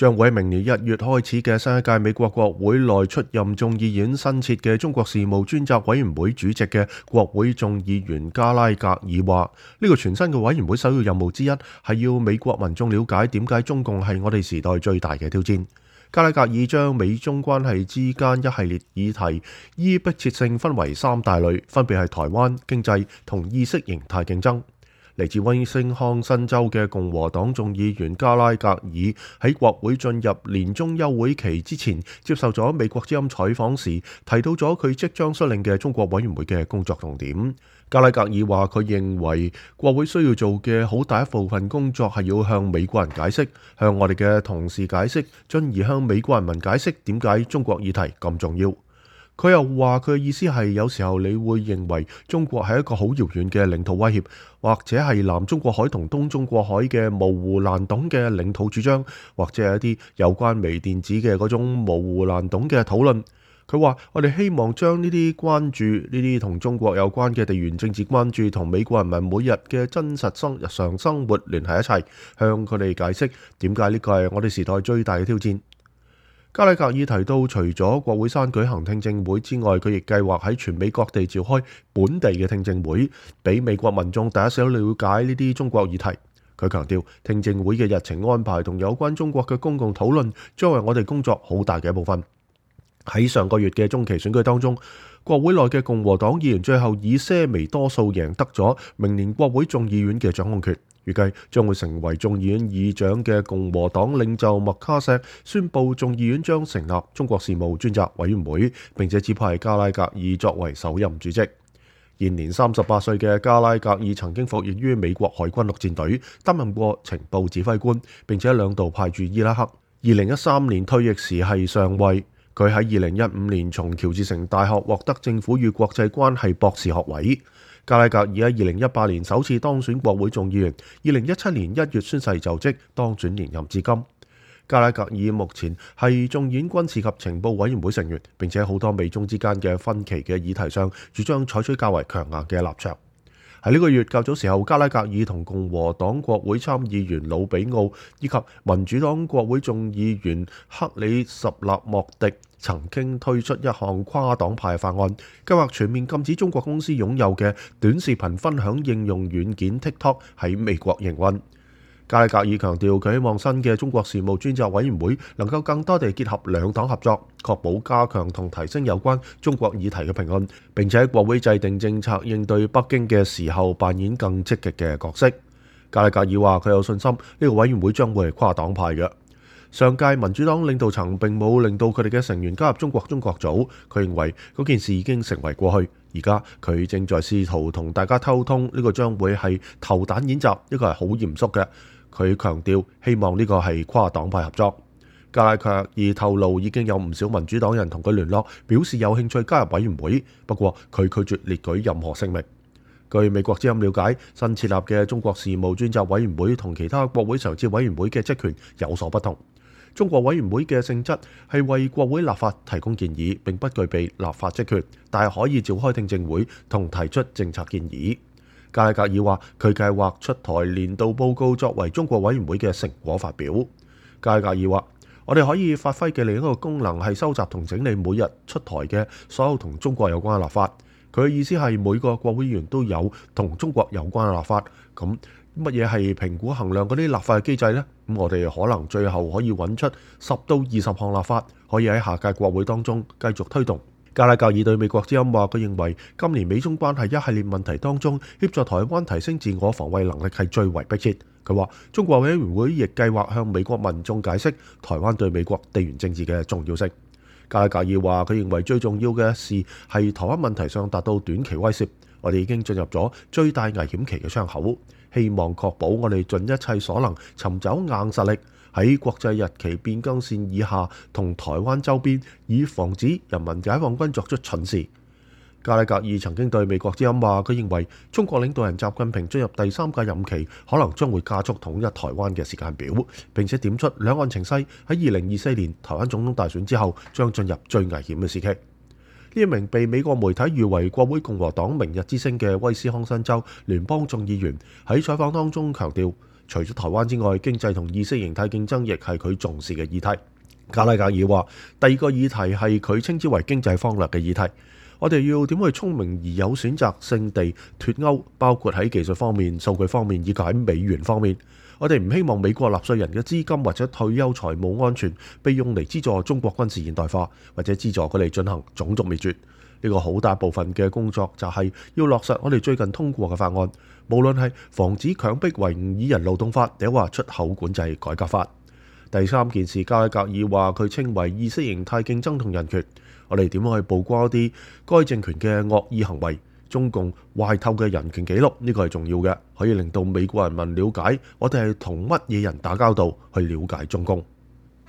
將會喺明年1月開始嘅新一屆美國國會內出任眾議院新設嘅中國事務專責委員會主席嘅國會眾議員加拉格爾話，呢個全新嘅委員會首要任務之一係要美國民眾了解點解中共係我哋時代最大嘅挑戰。加拉格爾將美中關係之間一系列議題依迫切性分為3大類，分別係台灣、經濟同意識形態競爭。嚟自威斯康辛州嘅共和黨眾議員加拉格爾喺國會進入年終休會期之前，接受咗美國之音採訪時，提到咗佢即將率領嘅中國委員會嘅工作重點。加拉格爾話，佢認為國會需要做嘅好大一部分工作係要向美國人解釋，向我哋嘅同事解釋，進而向美國人民解釋點解中國議題咁重要。佢又話，佢嘅意思係有時候你會認為中國係一個好遙遠嘅領土威脅，或者係南中國海同東中國海嘅模糊難懂嘅領土主張，或者係一啲有關微電子嘅嗰種模糊難懂嘅討論。佢話，我哋希望將呢啲關注，呢啲同中國有關嘅地緣政治關注同美國人民每日嘅真實日常生活聯繫一齊，向佢哋解釋點解呢個係我哋時代最大嘅挑戰。加拉格爾提到，除咗國會山舉行聽證會之外，佢亦計劃喺全美各地召開本地嘅聽證會，俾美國民眾第一手了解呢啲中國議題。佢強調，聽證會嘅日程安排同有關中國嘅公共討論將係我哋工作好大嘅一部分。喺上個月嘅中期選舉當中，國會內嘅共和黨議員最後以些微多數贏得咗明年國會眾議院嘅掌控權。預計將會成為眾議院議長嘅共和黨領袖麥卡錫宣布眾議院將成立中國事務專責委員會，並且指派加拉格爾作為首任主席。現年38歲嘅加拉格爾曾經服役於美國海軍陸戰隊，擔任過情報指揮官，並且2度派駐伊拉克。2013年退役時係上尉。佢喺2015年從喬治城大學獲得政府與國際關係博士學位。加拉格爾喺2018年首次當選國會眾議員，2017年1月宣誓就職，當選連任至今。加拉格爾目前係眾議院軍事及情報委員會成員，並且好多美中之間嘅分歧嘅議題上，主張採取較為強硬嘅立場。喺呢個月較早時候，加拉格爾同共和黨國會參議員魯比奧以及民主黨國會眾議員克里什納莫迪曾經推出一項跨黨派法案，計劃全面禁止中國公司擁有嘅短視頻分享應用軟件 TikTok 喺美國營運。加拉格爾強調，佢希望新嘅中國事務專責委員會能夠更多地結合兩黨合作，確保加強同提升有關中國議題嘅評論，並且喺國會制定政策應對北京嘅時候扮演更積極嘅角色。加拉格爾話，佢有信心呢個委員會將會係跨黨派嘅。上屆民主黨領導層並冇令到佢哋嘅成員加入中國中國組，佢認為嗰件事已經成為過去。而家佢正在試圖同大家溝通，呢個將會係投彈演習，呢個係好嚴肅嘅。佢強調希望呢個係跨黨派合作。加拉格爾透露已經有唔少民主黨人同佢聯絡，表示有興趣加入委員會，不過佢拒絕列舉任何聲明。據美國之音了解，新設立嘅中國事務專責委員會同其他國會常設委員會嘅職權有所不同。中國委員會嘅性質係為國會立法提供建議，並不具備立法職權，但係可以召開聽證會同提出政策建議。加拉格爾話，佢計劃出台年度報告作為中國委員會嘅成果發表。加拉格爾話，我哋可以發揮嘅另一個功能係收集同整理每日出台嘅所有同中國有關嘅立法。佢嘅意思係每個國會議員都有同中國有關嘅立法。咁乜嘢係評估衡量嗰啲立法嘅機制呢？咁我哋可能最後可以揾出10到20項立法，可以喺下屆國會當中繼續推動。加拉格爾對美國之音話，佢認為今年美中關係一系列問題當中，協助台灣提升自我防衛能力係最為迫切。佢話中國委員會亦計劃向美國民眾解釋台灣對美國地緣政治嘅重要性。加拉格爾話，佢認為最重要嘅事係台灣問題上達到短期威懾，我哋已經進入咗最大危險期嘅窗口，希望確保我哋盡一切所能尋找硬實力，喺國際日期變更線以下同台灣周邊，以防止人民解放軍作出蠢事。加拉格爾曾經對美國之音話，佢認為中國領導人習近平進入第3屆任期，可能將會加速統一台灣嘅時間表，並且點出兩岸情勢喺2024年台灣總統大選之後將進入最危險嘅時期。呢一名被美國媒體譽為國會共和黨明日之星嘅威斯康辛州聯邦眾議員喺採訪當中強調，除咗台灣之外，經濟同意識形態競爭亦係佢重視嘅議題。加拉格爾話，第二個議題係佢稱之為經濟方略嘅議題。我哋要點去聰明而有選擇性地脫歐，包括喺技術方面、數據方面以及喺美元方面。我哋唔希望美國納稅人嘅資金或者退休財務安全被用嚟資助中國軍事現代化，或者資助佢哋進行種族滅絕。呢個好大部分嘅工作就係要落實我哋最近通過嘅法案，無論係防止強迫維吾爾人勞動法，定話出口管制改革法。第三件事，加拉格爾話佢稱為意識形態競爭同人權。我哋點樣去曝光一啲該政權嘅惡意行為、中共壞透嘅人權記錄？呢個係重要嘅，可以令到美國人民了解我哋係同乜嘢人打交道，去了解中共。